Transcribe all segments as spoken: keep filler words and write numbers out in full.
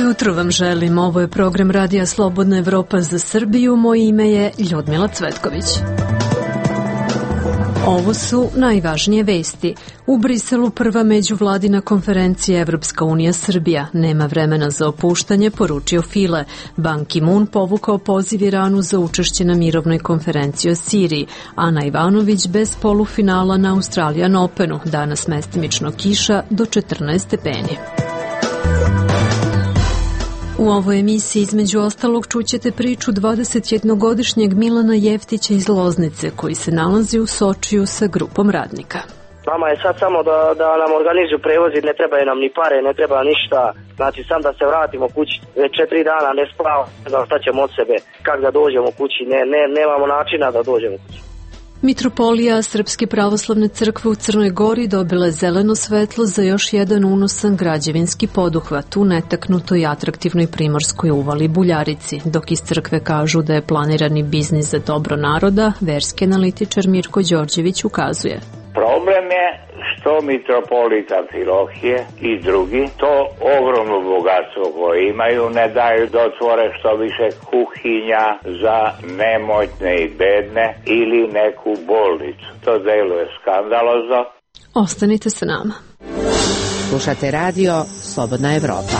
jutro vam želim. Ovo je program Radija Slobodna Evropa za Srbiju. Moje ime je Ljudmila Cvetković. Ovo su najvažnije vesti. U Briselu prva međuvladina konferencija Evropska unija Srbija. Nema vremena za opuštanje, poručio File. Ban Ki-moon povukao poziv Iranu za učešće na mirovnoj konferenciji o Siriji. Ana Ivanović bez polufinala na Australian Openu. Danas mestimično kiša do četrnaest stepeni. U ovoj emisiji između ostalog čućete priču dvadesetjednogodišnjeg Milana Jeftića iz Loznice koji se nalazi u Sočiju sa grupom radnika. Nama je sad samo da, da nam organizuju prevozi, ne trebaju nam ni pare, ne treba ništa. Znači sam da se vratimo kući, već četiri dana ne spavamo, ne znam šta ćemo od sebe, kako da dođemo kući, ne, ne, nemamo načina da dođemo kući. Mitropolija Srpske pravoslavne crkve u Crnoj Gori dobila je zeleno svetlo za još jedan unosan građevinski poduhvat u netaknutoj atraktivnoj primorskoj uvali Buljarici, dok iz crkve kažu da je planirani biznis za dobro naroda, verski analitičar Mirko Đorđević ukazuje. Problem je što mitropolita Amfilohije i drugi to ogromno bogatstvo koje imaju ne daju da otvore što više kuhinja za nemoćne i bedne ili neku bolnicu. To deluje skandalozno. Ostanite sa nama. Slušate radio Slobodna Evropa.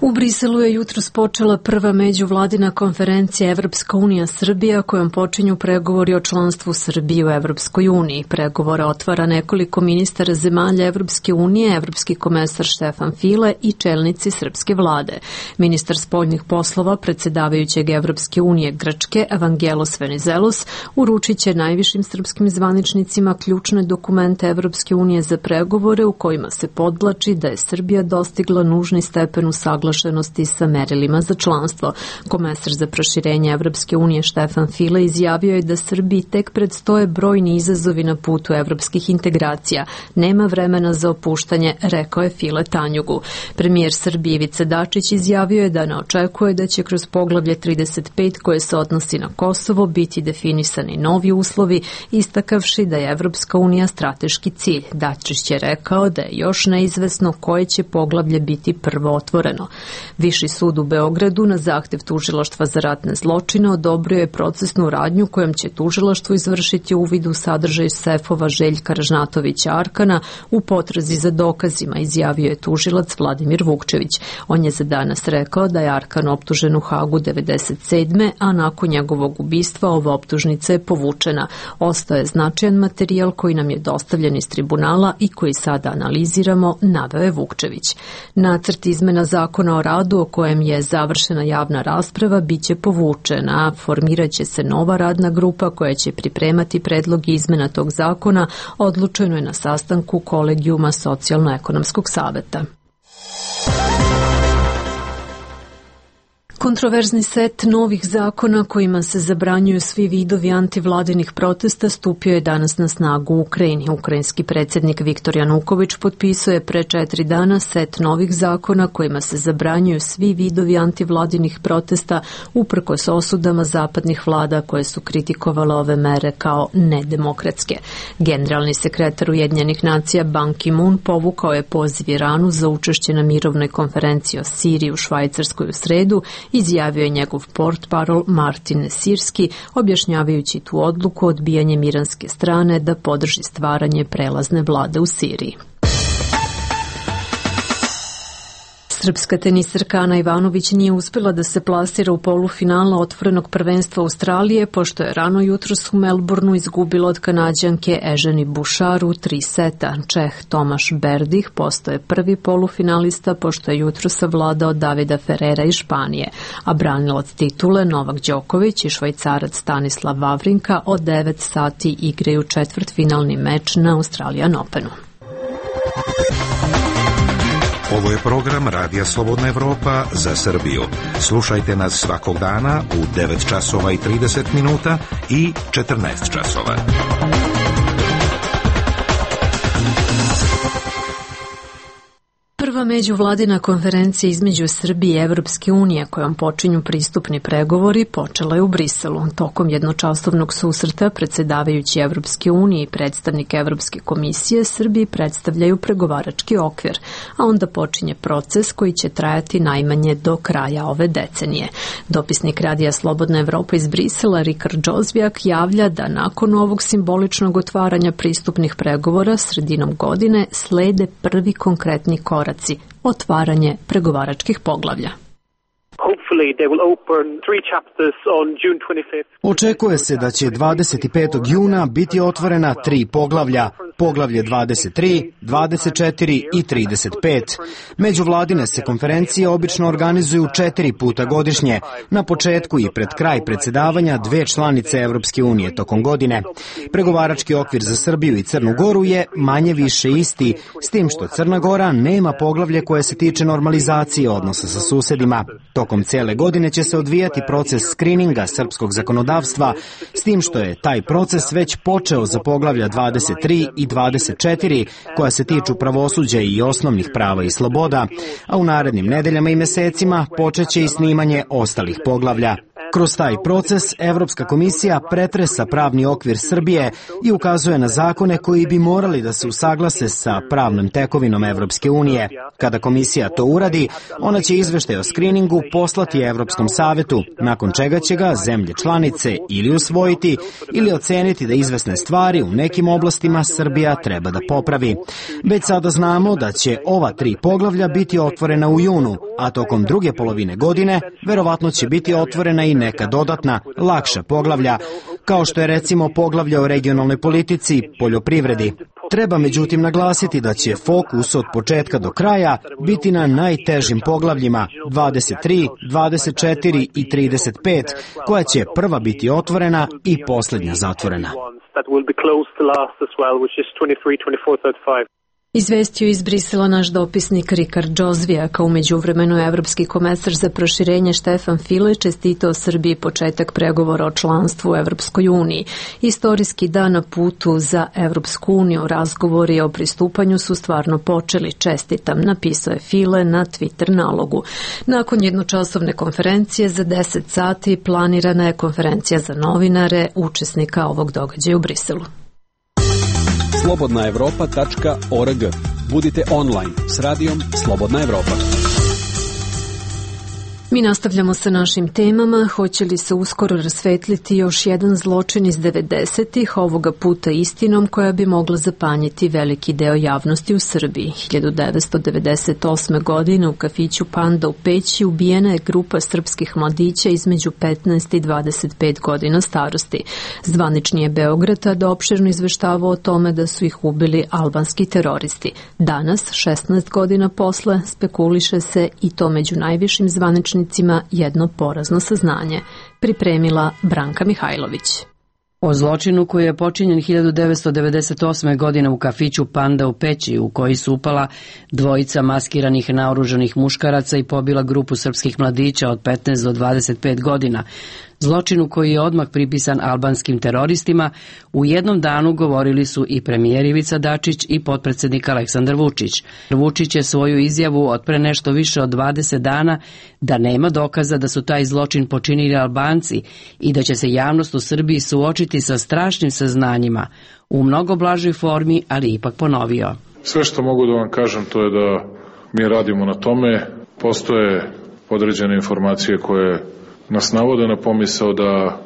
U Briselu je jutros počela prva međuvladina konferencija Evropska unija Srbija kojom počinju pregovori o članstvu Srbije u Evropskoj uniji. Pregovore otvara nekoliko ministara zemalja Evropske unije, evropski komesar Štefan File i čelnici srpske vlade. Ministar spoljnih poslova predsjedavajućeg Evropske unije Grčke Evangelos Venizelos uručit će najvišim srpskim zvaničnicima ključne dokumente Evropske unije za pregovore u kojima se podvlači da je Srbija dostigla nužni stepen usaglašenosti sa merilima za članstvo. Komesar za proširenje Evropske unije Štefan File izjavio je da Srbiji tek predstoje brojni izazovi na putu evropskih integracija. Nema vremena za opuštanje, rekao je File Tanjugu. Premijer Srbije Ivica Dačić izjavio je da ne očekuje da će kroz poglavlje trideset pet koje se odnosi na Kosovo biti definisani novi uslovi, istakavši da je Evropska unija strateški cilj. Dačić je rekao da je još neizvesno koje će poglavlje biti prvo otvoreno. Viši sud u Beogradu na zahtev tužilaštva za ratne zločine odobrio je procesnu radnju kojom će tužilaštvo izvršiti uvid u sadržaj sefova Željka Ražnatovića Arkana u potrazi za dokazima, izjavio je tužilac Vladimir Vukčević. On je za danas rekao da je Arkan optužen u Hagu devedeset sedme a nakon njegovog ubistva ova optužnica je povučena. Ostao je značajan materijal koji nam je dostavljen iz tribunala i koji sada analiziramo, naveo je Vukčević. Nacrt izmena zakona o radu o kojem je završena javna rasprava biće povučena. Formirat će se nova radna grupa koja će pripremati predlog izmena tog zakona, odlučeno je na sastanku kolegijuma Socijalno-ekonomskog saveta. Kontroverzni set novih zakona kojima se zabranjuju svi vidovi antivladinih protesta stupio je danas na snagu u Ukrajini. Ukrajinski predsjednik Viktor Januković potpisao je pre četiri dana set novih zakona kojima se zabranjuju svi vidovi antivladinih protesta uprkos osudama zapadnih vlada koje su kritikovale ove mere kao nedemokratske. Generalni sekretar Ujedinjenih nacija Ban Ki-moon povukao je poziv Iranu za učešće na mirovnoj konferenciji o Siriji u Švajcarskoj u sredu, izjavio je njegov portparol Martin Nesirski, objašnjavajući tu odluku odbijanjem iranske strane da podrži stvaranje prelazne vlade u Siriji. Srpska tenisarka Ana Ivanović nije uspjela da se plasira u polufinala otvorenog prvenstva Australije, pošto je rano jutros u Melbourneu izgubila od Kanađanke Eženi Bušar u tri seta. Čeh Tomaš Berdih postao je prvi polufinalista, pošto je jutros savladao Davida Ferrera iz Španije, a branilac titule Novak Đoković i Švajcarac Stanislav Wawrinka od devet sati igraju četvrtfinalni meč na Australian Openu. Ovo je program Radija Slobodna Evropa za Srbiju. Slušajte nas svakog dana u devet časova i trideset minuta i četrnaest časova. Prva Prva međuvladina konferencija između Srbije i Evropske unije kojom počinju pristupni pregovori počela je u Briselu. Tokom jednočasovnog susreta predsjedavajući Evropske unije i predstavnik Evropske komisije Srbiji predstavljaju pregovarački okvir, a onda počinje proces koji će trajati najmanje do kraja ove decenije. Dopisnik Radija Slobodna Evropa iz Brisela Rikard Džozvijak javlja da nakon ovog simboličnog otvaranja pristupnih pregovora sredinom godine slede prvi konkretni koraci, otvaranje pregovaračkih poglavlja. Očekuje se da će dvadeset petog juna biti otvorena tri poglavlja, poglavlje dvadeset tri, dvadeset četiri i trideset pet. Međuvladine se konferencije obično organizuju četiri puta godišnje, na početku i pred kraj predsjedavanja dve članice Evropske unije tokom godine. Pregovarački okvir za Srbiju i Crnu Goru je manje više isti, s tim što Crna Gora nema poglavlje koje se tiče normalizacije odnosa sa susedima. Tokom cijele godine će se odvijati proces skrininga srpskog zakonodavstva, s tim što je taj proces već počeo za poglavlja dvadeset tri i dvadeset četiri, koja se tiču pravosuđa i osnovnih prava i sloboda, a u narednim nedeljama i mesecima počeće i snimanje ostalih poglavlja. Kroz taj proces Evropska komisija pretresa pravni okvir Srbije i ukazuje na zakone koji bi morali da se usaglase sa pravnom tekovinom Evropske unije. Kada komisija to uradi, ona će izveštaj o skriningu poslati Evropskom savetu, nakon čega će ga zemlje članice ili usvojiti ili oceniti da izvesne stvari u nekim oblastima Srbija treba da popravi. Već sada znamo da će ova tri poglavlja biti otvorena u junu, a tokom druge polovine godine verovatno će biti otvorena i neka dodatna, lakša poglavlja, kao što je recimo poglavlje o regionalnoj politici i poljoprivredi. Treba međutim naglasiti da će fokus od početka do kraja biti na najtežim poglavljima dvadeset tri, dvadeset četiri i trideset pet, koja će prva biti otvorena i posljednja zatvorena. Izvestio iz Brisela naš dopisnik Rikard Džozvijak, a u međuvremenu Evropski komesar za proširenje Štefan File čestitao Srbiji početak pregovora o članstvu u Evropskoj uniji. Istorijski dan na putu za Evropsku uniju, razgovori o pristupanju su stvarno počeli, čestitam, napisao je File na Twitter nalogu. Nakon jednočasovne konferencije za deset sati planirana je konferencija za novinare učesnika ovog događaja u Briselu. slobodna evropa tačka org. Budite online s radijom Slobodna Evropa. Mi nastavljamo sa našim temama. Hoće li se uskoro rasvetliti još jedan zločin iz devedesetih, ovoga puta istinom koja bi mogla zapanjiti veliki deo javnosti u Srbiji? hiljadu devetsto devedeset osme. godine u kafiću Panda u Peći ubijena je grupa srpskih mladića između petnaest i dvadeset pet godina starosti. Zvanični je Beograd tada opširno izveštavao o tome da su ih ubili albanski teroristi. Danas, šesnaest godina posle, spekuliše se i to među najvišim zvaničnim jedno porazno saznanje, pripremila Branka Mihajlović. O zločinu koji je počinjen hiljadu devetsto devedeset osme. godine u kafiću Panda u Peći, u koji su upala dvojica maskiranih naoružanih muškaraca i pobila grupu srpskih mladića od petnaest do dvadeset pet godina. Zločinu koji je odmah pripisan albanskim teroristima, u jednom danu govorili su i premijer Ivica Dačić i potpredsednik Aleksandar Vučić. Vučić je svoju izjavu od pre nešto više od dvadeset dana da nema dokaza da su taj zločin počinili Albanci i da će se javnost u Srbiji suočiti sa strašnim saznanjima, u mnogo blažoj formi, ali ipak ponovio. Sve što mogu da vam kažem to je da mi radimo na tome. Postoje određene informacije koje nas navode na pomisao da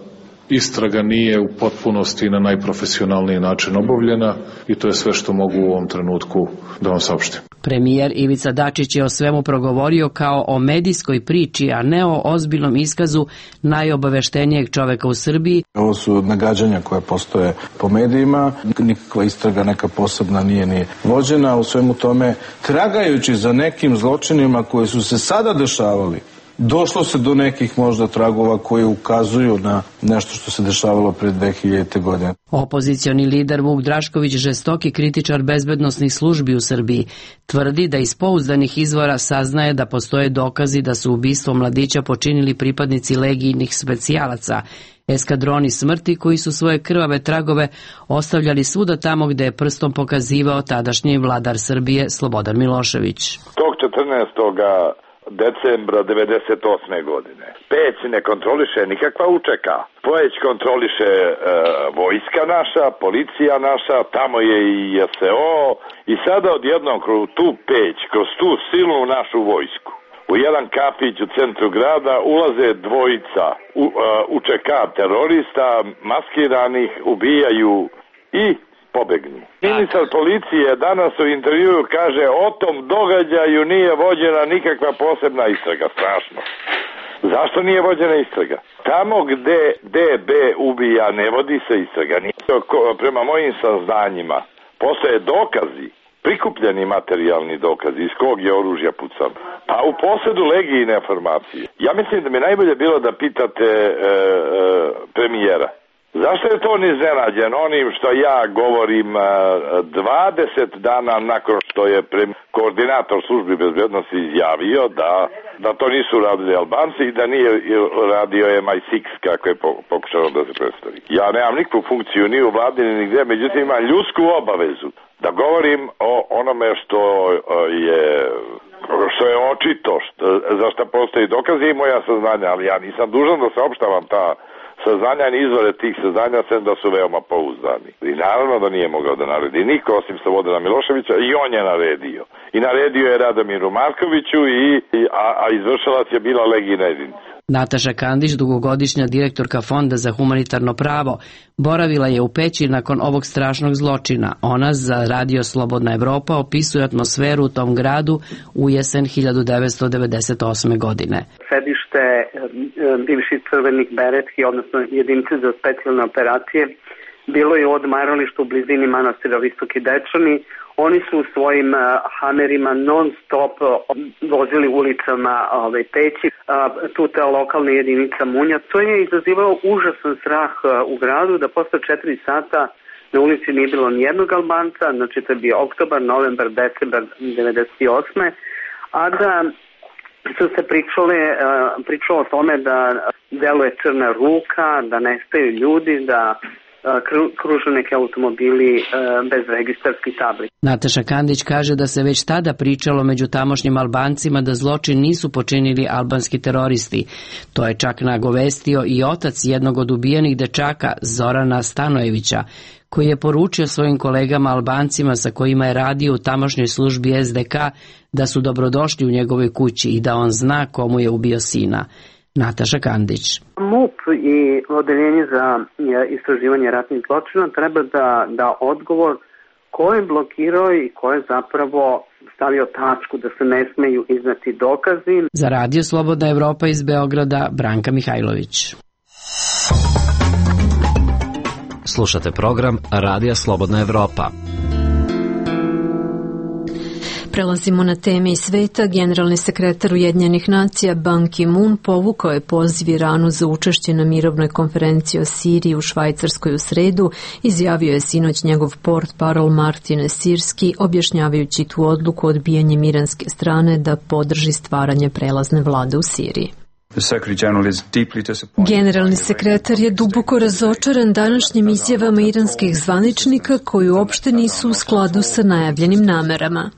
istraga nije u potpunosti na najprofesionalniji način obavljena i to je sve što mogu u ovom trenutku da vam saopštim. Premijer Ivica Dačić je o svemu progovorio kao o medijskoj priči, a ne o ozbiljnom iskazu najobaveštenijeg čoveka u Srbiji. Ovo su nagađanja koje postoje po medijima, nikakva istraga neka posebna nije ni vođena, u svemu tome tragajući za nekim zločinima koji su se sada dešavali. Došlo se do nekih možda tragova koji ukazuju na nešto što se dešavalo pre dve hiljadite. godine. Opozicioni lider Vuk Drašković, žestoki kritičar bezbednosnih službi u Srbiji, tvrdi da iz pouzdanih izvora saznaje da postoje dokazi da su ubistvo mladića počinili pripadnici legijnih specijalaca, eskadroni smrti koji su svoje krvave tragove ostavljali svuda tamo gde je prstom pokazivao tadašnji vladar Srbije Slobodan Milošević. Tog četrnaestog decembra devedeset osme godine. Peć ne kontroliše nikakva U Č K. Peć kontroliše e, vojska naša, policija naša, tamo je i J S O i sada odjednom kroz tu Peć, kroz tu silnu našu vojsku, u jedan kafić u centru grada ulaze dvojica U, uh, U Č K terorista, maskiranih, ubijaju i pobegnu. Ministar policije danas u intervjuu kaže o tom događaju nije vođena nikakva posebna istraga. Strašno. Zašto nije vođena istraga? Tamo gde D B ubija ne vodi se istraga. Prema mojim saznanjima postoje dokazi, prikupljeni materijalni dokazi iz kog je oružja pucan. Pa u posjedu legijine informacije. Ja mislim da mi najbolje bilo da pitate e, e, premijera. Zašto je to on iznenađen onim što ja govorim dvadeset dana nakon što je koordinator službi bezbednosti izjavio da, da to nisu radili Albanci i da nije radio M I šest kako je pokušao da se predstavi. Ja nemam nikakvu funkciju ni u vladi ni nigde, međutim imam ljudsku obavezu da govorim o onome što je što je očito, što, za što postoji dokazi i moja saznanja, ali ja nisam dužan da saopštavam ta saznanja i izvore tih saznanja, sem da su veoma pouzdani. I naravno da nije mogao da naredi niko osim Slobodana Miloševića i on je naredio. I naredio je Radomiru Markoviću, i, i, a, a izvršilac je bila legijna jedinica. Nataša Kandić, dugogodišnja direktorka Fonda za humanitarno pravo, boravila je u Peći nakon ovog strašnog zločina. Ona za Radio Slobodna Evropa opisuje atmosferu u tom gradu u jesen hiljadu devetsto devedeset osme godine. Sedište bivših crvenih beretki, odnosno jedinice za specijalne operacije, bilo je u odmaralištu u blizini manastira Visoki Dečani. Oni su u svojim uh, hamerima non stop uh, vozili ulicama ove Peći, uh, tu ta lokalna jedinica Munja. To je izazivalo užasan strah uh, u gradu, da posle četiri sata na ulici nije bilo nijednog Albanca, znači to je bio oktobar, novembar, decembar devedeset osme a da su se pričale, uh, pričalo o tome da deluje crna ruka, da nestaju ljudi, da kruže neke automobili bez registarskih tabli. Nataša Kandić kaže da se već tada pričalo među tamošnjim Albancima da zločin nisu počinili albanski teroristi. To je čak nagovestio i otac jednog od ubijenih dečaka, Zorana Stanojevića, koji je poručio svojim kolegama Albancima sa kojima je radio u tamošnjoj službi S D K da su dobrodošli u njegovoj kući i da on zna komu je ubio sina. Nataša Kandić. MUP i Odeljenje za istraživanje ratnih zločina treba da da odgovor ko je blokirao i ko je zapravo stavio tačku da se ne smeju iznati dokazi. Za Radio Slobodna Evropa iz Beograda, Branka Mihajlović. Slušate program Radija Slobodna Evropa. Prelazimo na teme iz sveta. Generalni sekretar Ujedinjenih nacija Ban Ki-moon povukao je poziv Iranu za učešće na mirovnoj konferenciji o Siriji u Švajcarskoj u sredu, izjavio je sinoć njegov portparol Martin Esirski, objašnjavajući tu odluku odbijanjem iranske strane da podrži stvaranje prelazne vlade u Siriji. Generalni sekretar je duboko razočaran današnjim izjavama iranskih zvaničnika koji uopšte nisu u skladu sa najavljenim namerama.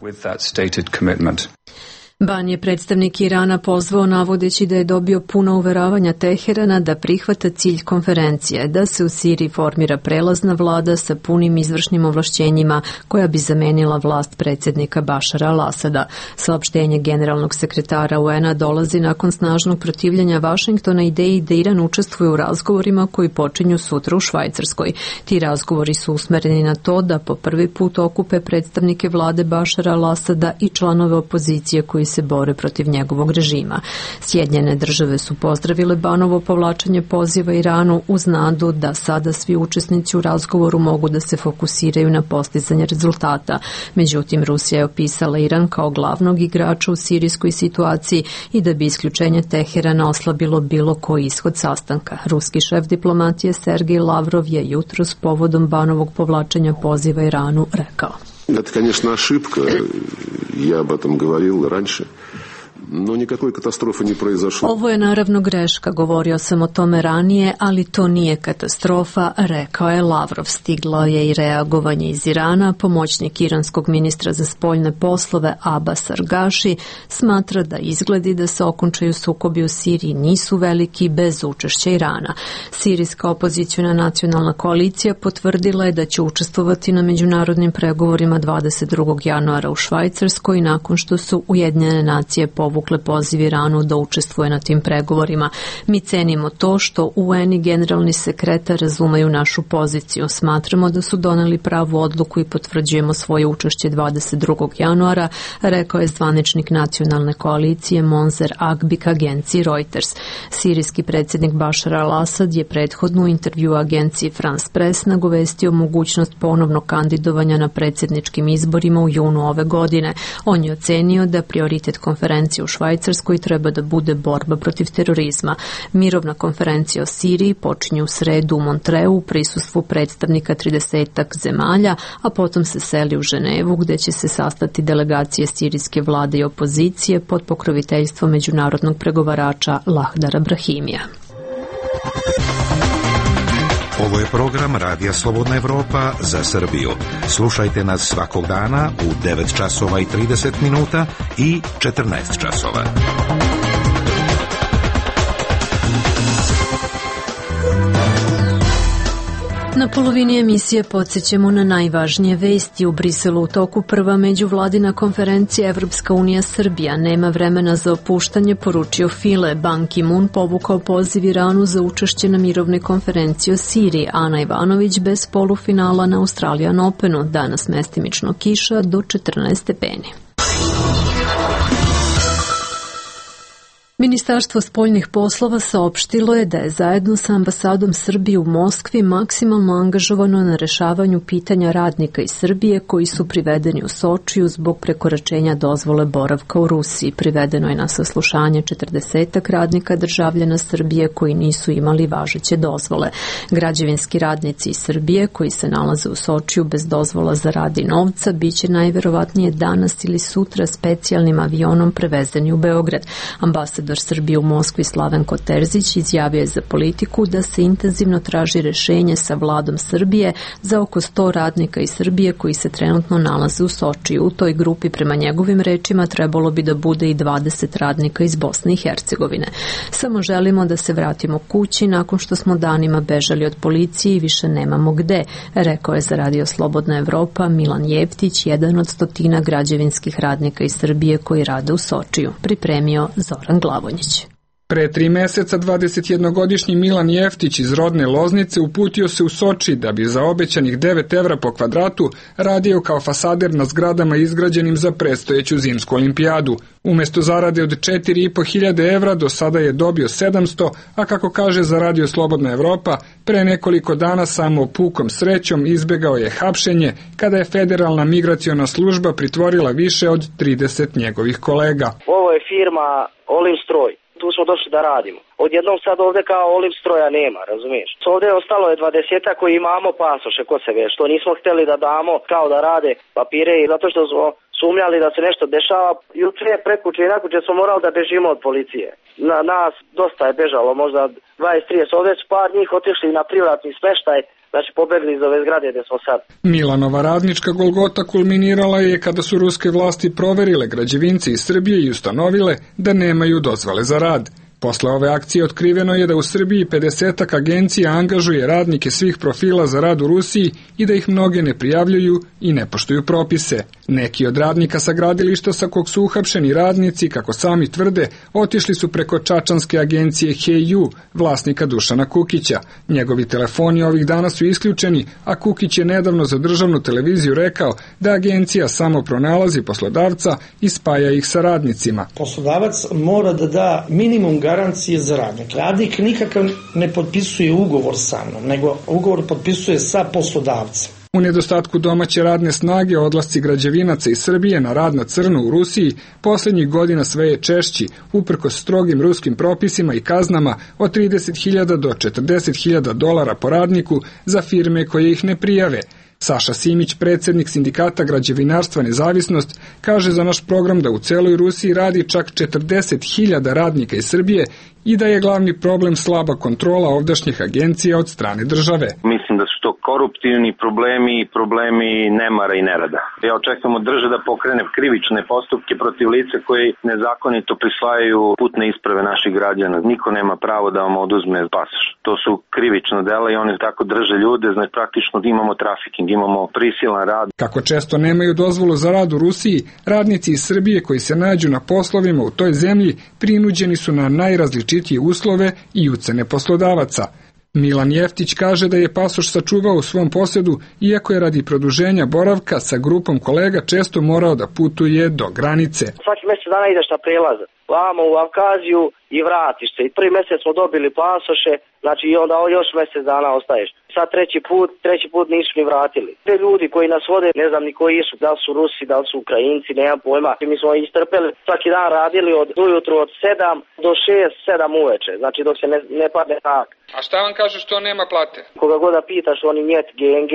Ban je predstavnik Irana pozvao navodeći da je dobio puno uveravanja Teherana da prihvata cilj konferencije, da se u Siriji formira prelazna vlada sa punim izvršnim ovlašćenjima koja bi zamenila vlast predsjednika Bašara al-Asada. Saopštenje generalnog sekretara U N-a dolazi nakon snažnog protivljenja Vašingtona ideji da Iran učestvuje u razgovorima koji počinju sutra u Švajcarskoj. Ti razgovori su usmereni na to da po prvi put okupe predstavnike vlade Bašara al-Asada i članove opozicije koji se bore protiv njegovog režima. Sjedinjene države su pozdravile Banovo povlačenje poziva Iranu uz nadu da sada svi učesnici u razgovoru mogu da se fokusiraju na postizanje rezultata. Međutim, Rusija je opisala Iran kao glavnog igrača u sirijskoj situaciji i da bi isključenje Teherana oslabilo bilo koji ishod sastanka. Ruski šef diplomatije Sergej Lavrov je jutros povodom Banovog povlačenja poziva Iranu rekao: Это, конечно, ошибка. Я об этом говорил раньше. но никакой катастрофы не произошло. Ovo je naravno greška, govorio sam o tome ranije, ali to nije katastrofa, rekao je Lavrov. Stiglo je i reagovanje iz Irana. Pomoćnik iranskog ministra za spoljne poslove Abbas Argaši smatra da izgledi da se okončaju sukobi u Siriji nisu veliki bez učešća Irana. Sirijska opozicijona nacionalna koalicija potvrdila je da će učestvovati na međunarodnim pregovorima dvadeset drugog januara u Švajcarskoj nakon što su Ujedinjene nacije povukle poziv Iranu da učestvuje na tim pregovorima. Mi cenimo to što U N i generalni sekretar razumeju našu poziciju. Smatramo da su doneli pravu odluku i potvrđujemo svoje učešće dvadeset drugog januara, rekao je zvaničnik nacionalne koalicije Monzer Agbik agenciji Reuters. Sirijski predsjednik Bašar al-Asad je prethodno u intervju agenciji France Press nagovestio mogućnost ponovnog kandidovanja na predsjedničkim izborima u junu ove godine. On je ocenio da prioritet konferencije u Švajcarskoj treba da bude borba protiv terorizma. Mirovna konferencija o Siriji počinje u sredu u Montreu u prisustvu predstavnika tridesetak zemalja, a potom se seli u Ženevu gde će se sastati delegacije sirijske vlade i opozicije pod pokroviteljstvom međunarodnog pregovarača Lahdara Brahimija. Ovo je program Radija Slobodna Evropa za Srbiju. Slušajte nas svakog dana u devet časova i trideset minuta i četrnaest časova. Na polovini emisije podsjećamo na najvažnije vesti. U Briselu u toku prva međuvladina konferencija Evropska unija Srbija. Nema vremena za opuštanje, poručio File. Ban Ki-moon povukao poziv Iranu za učešće na mirovnoj konferenciji o Siriji. Ana Ivanović bez polufinala na Australian Openu. Danas mestimično kiša do četrnaest stepeni. Ministarstvo spoljnih poslova saopštilo je da je zajedno sa ambasadom Srbije u Moskvi maksimalno angažovano na rešavanju pitanja radnika iz Srbije koji su privedeni u Sočiju zbog prekoračenja dozvole boravka u Rusiji. Privedeno je na saslušanje četrdesetak radnika državljana Srbije koji nisu imali važeće dozvole. Građevinski radnici iz Srbije koji se nalaze u Sočiju bez dozvola za rad i novca biće najverovatnije danas ili sutra specijalnim avionom prevezeni u Beograd. Ambasad Ambasador Srbije u Moskvi Slavenko Terzić izjavio je za Politiku da se intenzivno traži rešenje sa vladom Srbije za oko sto radnika iz Srbije koji se trenutno nalaze u Sočiju. U toj grupi prema njegovim rečima trebalo bi da bude i dvadeset radnika iz Bosne i Hercegovine. Samo želimo da se vratimo kući nakon što smo danima bežali od policije i više nemamo gde, rekao je za Radio Slobodna Evropa Milan Jeftić, jedan od stotina građevinskih radnika iz Srbije koji rade u Sočiju. Pripremio Zoran Glavonjić. Pre tri meseca dvadesetjednogodišnji Milan Jeftić iz rodne Loznice uputio se u Soči da bi za obećanih devet evra po kvadratu radio kao fasader na zgradama izgrađenim za predstojeću zimsku olimpijadu. Umesto zarade od četiri i po hiljade evra do sada je dobio sedamsto, a kako kaže za Radio Slobodna Evropa, pre nekoliko dana samo pukom srećom izbegao je hapšenje kada je Federalna migraciona služba pritvorila više od trideset njegovih kolega. Ovo je firma Olimstroj. Tu smo došli da radimo. Odjednom sad ovde kao Olimstroja nema, razumiješ? Ovde je ostalo je dvadeset koji imamo pasoše kod sebe, što nismo hteli da damo kao da rade papire i zato što smo sumnjali da se nešto dešava. Juče, prekuče i nakuče smo morali da bežimo od policije. Na, nas dosta je bežalo, možda dvadeset trideset. Ovde su par njih otišli na privatni smeštaj, znači pobegli iz ove zgrade gde smo sad. Milanova radnička golgota kulminirala je kada su ruske vlasti proverile građevince iz Srbije i ustanovile da nemaju dozvole za rad. Posle ove akcije otkriveno je da u Srbiji pedesetak agencija angažuje radnike svih profila za rad u Rusiji i da ih mnoge ne prijavljuju i ne poštuju propise. Neki od radnika sa gradilišta sa kog su uhapšeni radnici, kako sami tvrde, otišli su preko čačanske agencije H E U, vlasnika Dušana Kukića. Njegovi telefoni ovih dana su isključeni, a Kukić je nedavno za državnu televiziju rekao da agencija samo pronalazi poslodavca i spaja ih sa radnicima. Poslodavac mora da da minimum garancije za radnik. Radnik nikakav ne potpisuje ugovor sa mnom, nego ugovor potpisuje sa poslodavcem. U nedostatku domaće radne snage odlasci građevinaca iz Srbije na rad na crno u Rusiji posljednjih godina sve je češći, uprkos strogim ruskim propisima i kaznama od trideset hiljada do četrdeset hiljada dolara po radniku za firme koje ih ne prijave. Saša Simić, predsjednik sindikata građevinarstva Nezavisnost, kaže za naš program da u celoj Rusiji radi čak četrdeset hiljada radnika iz Srbije i da je glavni problem slaba kontrola ovdašnjih agencija od strane države. Mislim da su to koruptivni problemi i problemi nemara i nerada. Ja očekujem od države da pokrene krivične postupke protiv lica koji nezakonito prisvajaju putne isprave naših građana. Niko nema pravo da vam oduzme pasoš. To su krivična dela i oni tako drže ljude, znači praktično imamo trafiking, imamo prisilan rad. Kako često nemaju dozvolu za rad u Rusiji, radnici iz Srbije koji se nađu na poslovima u toj zemlji prinuđeni su na najrazličitije uslove i ucene poslodavaca. Milan Jeftić kaže da je pasoš sačuvao u svom posjedu, iako je radi produženja boravka sa grupom kolega često morao da putuje do granice. Svaki mjesec dana ideš na prelaz, vamo u Avkaziju i vratiš se. I prvi mjesec smo dobili pasoše, znači i onda još mjesec dana ostaješ. Sad treći put, treći put nisu ni vratili. Te ljudi koji nas vode, ne znam ni koji su, da li su Rusi, da li su Ukrajinci, nemam pojma. Mi smo istrpeli, svaki dan radili od ujutru od sedam do šest, sedam uveče, znači dok se ne, ne padne tak. A šta vam kažu što nema plate? Koga god da pitaš, oni njet, G N G,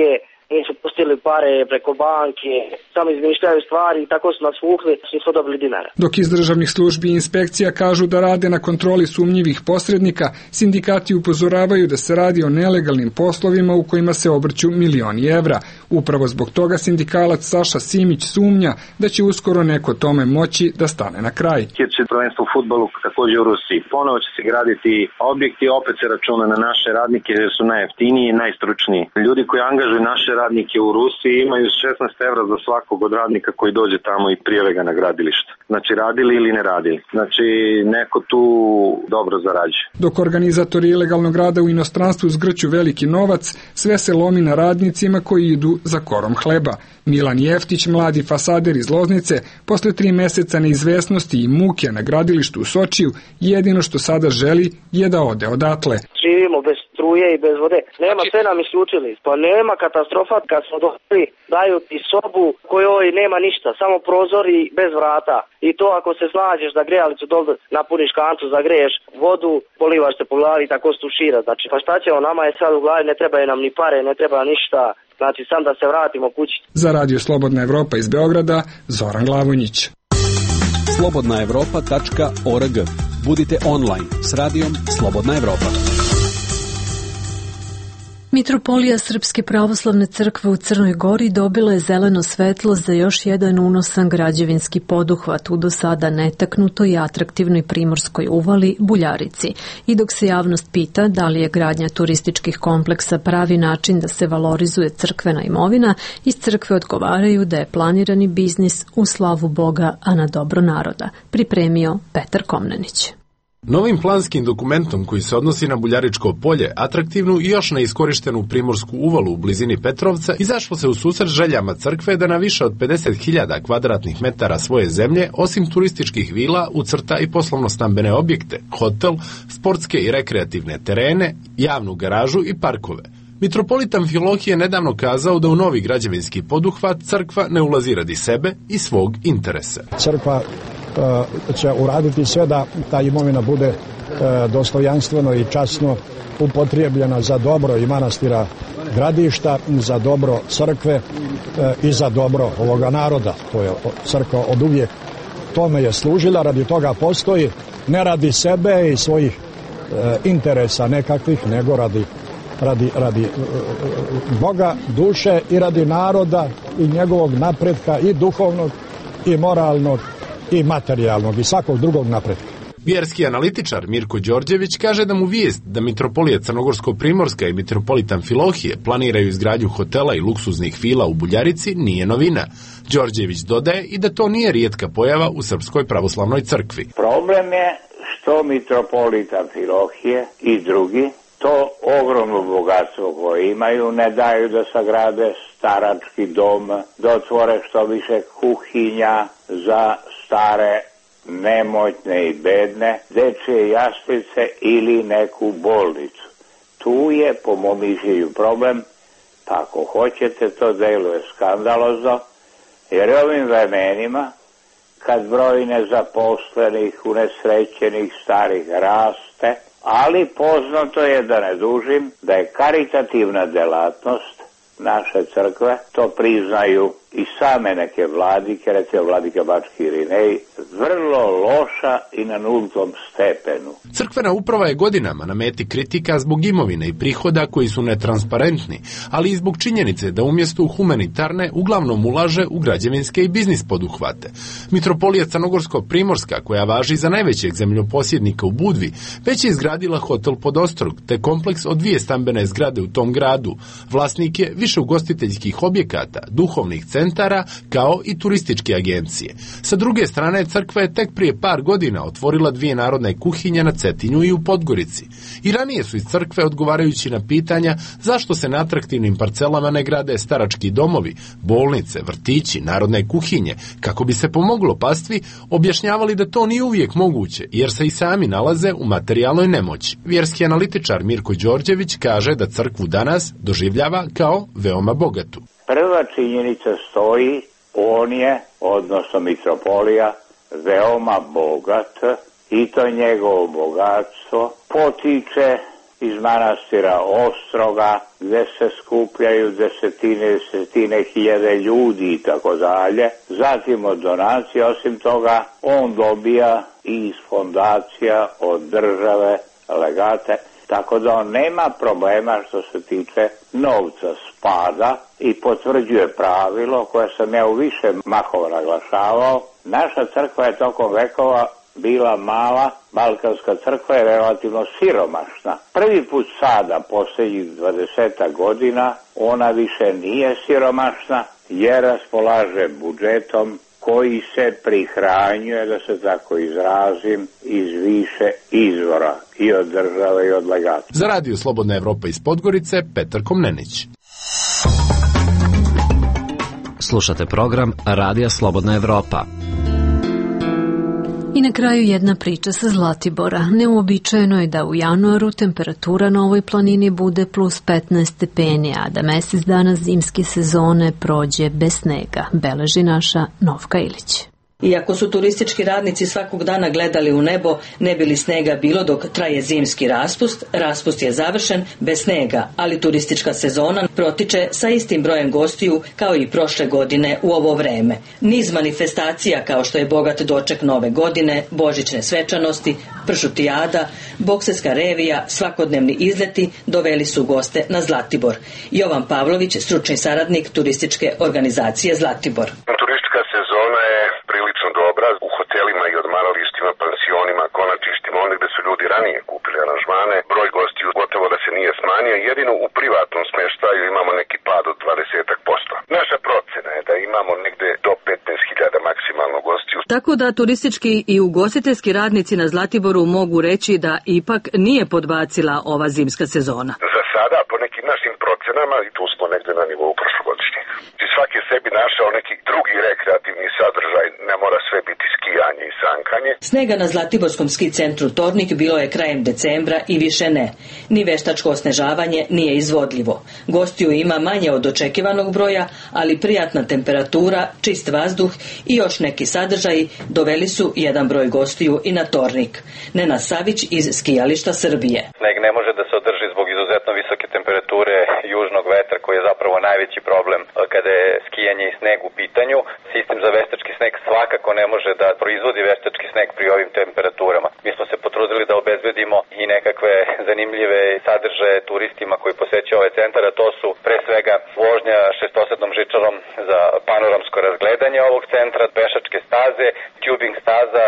nisu pustili pare preko banke, samo izmišljaju stvari i tako su nas vukli, nisu dobili dinara. Dok iz državnih službi i inspekcija kažu da rade na kontroli sumnjivih posrednika, sindikati upozoravaju da se radi o nelegalnim poslovima u kojima se obrću milioni evra. Upravo zbog toga sindikalac Saša Simić sumnja da će uskoro neko tome moći da stane na kraj. Će prvenstvo u fudbalu također u Rusiji. Ponovo će se graditi objekti, opet se računa na naše radnike jer su najjeftiniji i najstručniji. Ljudi koji angažuju naše radnike u Rusiji imaju šesnaest evra za svakog od radnika koji dođe tamo i prijave ga na gradilište. Znači radili ili ne radili. Znači neko tu dobro zarađuje. Dok organizatori ilegalnog rada u inostranstvu zgrću veliki novac, sve se lomi na radnicima koji idu za korom hleba. Milan Jeftić, mladi fasader iz Loznice, posle tri meseca neizvesnosti i muke na gradilištu u Sočiju, jedino što sada želi je da ode odatle. Živimo bez struje i bez vode. Nema, sve nam isključili. Pa nema katastrofa kad smo došli, daju ti sobu kojoj nema ništa, samo prozori bez vrata. I to ako se snađeš da grejalicu dole napuniš kantu, zagreješ vodu, polivaš se po glavi i tako stušira. Znači, pa šta ćemo, nama je sad u glavi, ne trebaju nam ni pare, ne treba ništa. Znači, sam da se vratimo kući. Za Radio Slobodna Evropa iz Beograda, Zoran Glavonjić. slobodna evropa tačka org. Budite online s radijom Slobodna Evropa. Mitropolija Srpske pravoslavne crkve u Crnoj Gori dobila je zeleno svetlo za još jedan unosan građevinski poduhvat u do sada netaknutoj i atraktivnoj primorskoj uvali Buljarici. I dok se javnost pita da li je gradnja turističkih kompleksa pravi način da se valorizuje crkvena imovina, iz crkve odgovaraju da je planirani biznis u slavu Boga, a na dobro naroda. Pripremio Petar Komnenić. Novim planskim dokumentom koji se odnosi na Buljaričko polje, atraktivnu i još neiskorištenu primorsku uvalu u blizini Petrovca, izašlo se u susret željama crkve da na više od pedeset hiljada kvadratnih metara svoje zemlje, osim turističkih vila, ucrta i poslovno-stambene objekte, hotel, sportske i rekreativne terene, javnu garažu i parkove. Mitropolit Amfilohije je nedavno kazao da u novi građevinski poduhvat crkva ne ulazi radi sebe i svog interesa. Crkva će uraditi sve da ta imovina bude dostojanstveno i časno upotrijebljena za dobro i manastira gradišta, za dobro crkve i za dobro ovoga naroda. To je crkva od uvijek tome je služila, radi toga postoji, ne radi sebe i svojih interesa nekakvih, nego radi radi, radi Boga, duše i radi naroda i njegovog napretka i duhovnog i moralnog i materijalnog i svakog drugog napretka. Vjerski analitičar Mirko Đorđević kaže da mu vijest da Mitropolija Crnogorsko-Primorska i Mitropolit Amfilohije planiraju izgradnju hotela i luksuznih vila u Buljarici nije novina. Đorđević dodaje i da to nije rijetka pojava u Srpskoj pravoslavnoj crkvi. Problem je što Mitropolit Amfilohije i drugi to ogromno bogatstvo koje imaju ne daju da sagrade starački dom, da otvore što više kuhinja za stare, nemoćne i bedne, dečje jaslice ili neku bolnicu. Tu je, po mom mišljenju, problem, pa ako hoćete, to deluje skandalozno, jer ovim vremenima, kad broj nezaposlenih, unesrećenih, starih raste, ali poznato je, da ne dužim, da je karitativna delatnost naše crkve, to priznaju i same neke vladike, recimo vladika Bački Irinej, vrlo loša i na nultom stepenu. Crkvena uprava je godinama na meti kritika zbog imovine i prihoda koji su netransparentni, ali i zbog činjenice da umjesto u humanitarne uglavnom ulaže u građevinske i biznis poduhvate. Mitropolija Crnogorsko-Primorska, koja važi za najvećeg zemljoposjednika u Budvi, već je izgradila hotel Podostrog, te kompleks od dvije stambene zgrade u tom gradu. Vlasnik je više ugostiteljskih objekata, duhovnih centara, kao i turističke agencije. Sa druge strane, crkva je tek prije par godina otvorila dvije narodne kuhinje na Cetinju i u Podgorici. I ranije su iz crkve, odgovarajući na pitanja zašto se na atraktivnim parcelama ne grade starački domovi, bolnice, vrtići, narodne kuhinje, kako bi se pomoglo pastvi, objašnjavali da to nije uvijek moguće, jer se i sami nalaze u materijalnoj nemoći. Vjerski analitičar Mirko Đorđević kaže da crkvu danas doživljava kao veoma bogatu. Prva činjenica stoji, on je, odnosno mitropolija, veoma bogat i to njegovo bogatstvo potiče iz manastira Ostroga, gde se skupljaju desetine, desetine hiljade ljudi i tako dalje. Zatim od donacije, osim toga, on dobija i iz fondacija od države legate, tako da on nema problema što se tiče novca spada i potvrđuje pravilo koje sam ja u više mahova naglašavao. Naša crkva je tokom vekova bila mala, balkanska crkva je relativno siromašna. Prvi put sada, posljednjih dvadeset godina, ona više nije siromašna jer raspolaže budžetom koji se prihranjuje, da se tako izrazim, iz više izvora, i od države i od legata. Za Radio Slobodna Evropa iz Podgorice, Petar Komnenić. Slušate program Radija Slobodna Evropa. I na kraju jedna priča sa Zlatibora. Neuobičajeno je da u januaru temperatura na ovoj planini bude plus petnaest stepeni, a da mesec dana zimske sezone prođe bez snega, beleži naša Novka Ilić. Iako su turistički radnici svakog dana gledali u nebo, ne bi li snega bilo dok traje zimski raspust, raspust je završen bez snega, ali turistička sezona protiče sa istim brojem gostiju kao i prošle godine u ovo vreme. Niz manifestacija kao što je bogat doček nove godine, božićne svečanosti, pršutijada, bokserska revija, svakodnevni izleti doveli su goste na Zlatibor. Jovan Pavlović, stručni saradnik turističke organizacije Zlatibor. Turistička sezona je prilično dobra u hotelima i odmaralištima, pansionima, konačištima, onda gde su ljudi ranije kupili aranžmane. Broj gostiju gotovo da se nije smanjio, jedino u privatnom smeštaju imamo neki pad od dvadeset posto. Naša procena je da imamo negde do petnaest hiljada maksimalno gostiju. Tako da turistički i ugostiteljski radnici na Zlatiboru mogu reći da ipak nije podbacila ova zimska sezona. Za sada, po nekim našim procenama, i tu smo negde na nivou prošlogodišnjeg. I svaki je sebi našao neki drugi rekreativni sadržaj, ne mora sve biti skijanje i sankanje. Snega na Zlatiborskom ski centru Tornik bilo je krajem decembra i više ne. Ni veštačko osnežavanje nije izvodljivo. Gostiju ima manje od očekivanog broja, ali prijatna temperatura, čist vazduh i još neki sadržaji doveli su jedan broj gostiju i na Tornik. Nenad Savić iz skijališta Srbije. Sneg ne može da se održi zbog izuzetno visoke temperature južnog vetra koji je zapravo najveći problem kada je skijanje i sneg u pitanju. Sistem za veštački sneg svakako ne može da proizvodi veštački sneg pri ovim temperaturama. Mi smo se potrudili da obezbedimo i nekakve zanimljive sadržaje turistima koji posećaju ovaj centar, a to su pre svega vožnja šestosednom žičarom za panoramsko razgledanje ovog centra, pešačke staze, tubing staza,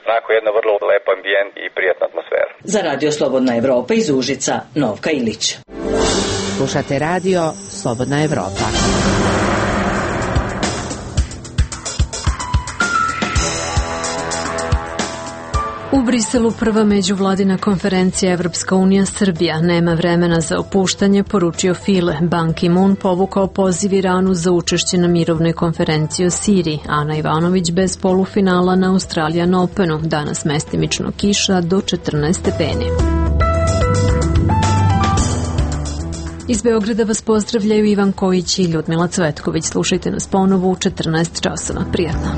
onako jedna vrlo lep ambijent i prijatna atmosfera. Za Radio Slobodna Evropa iz Užica, Novka Ilić. Slušate Radio Slobodna Evropa. U Briselu prva međuvladina konferencija Evropska unija Srbija nema vremena za opuštanje, poručio File. Ban Ki-moon povukao poziv Iranu za učešće na mirovnoj konferenciji o Siriji. Ana Ivanović bez polufinala na Australian Openu. Danas mestimično kiša do četrnaest stepeni. Iz Beograda vas pozdravljaju Ivan Kojić i Ljudmila Cvetković. Slušajte nas ponovo u četrnaest časova. Prijatno.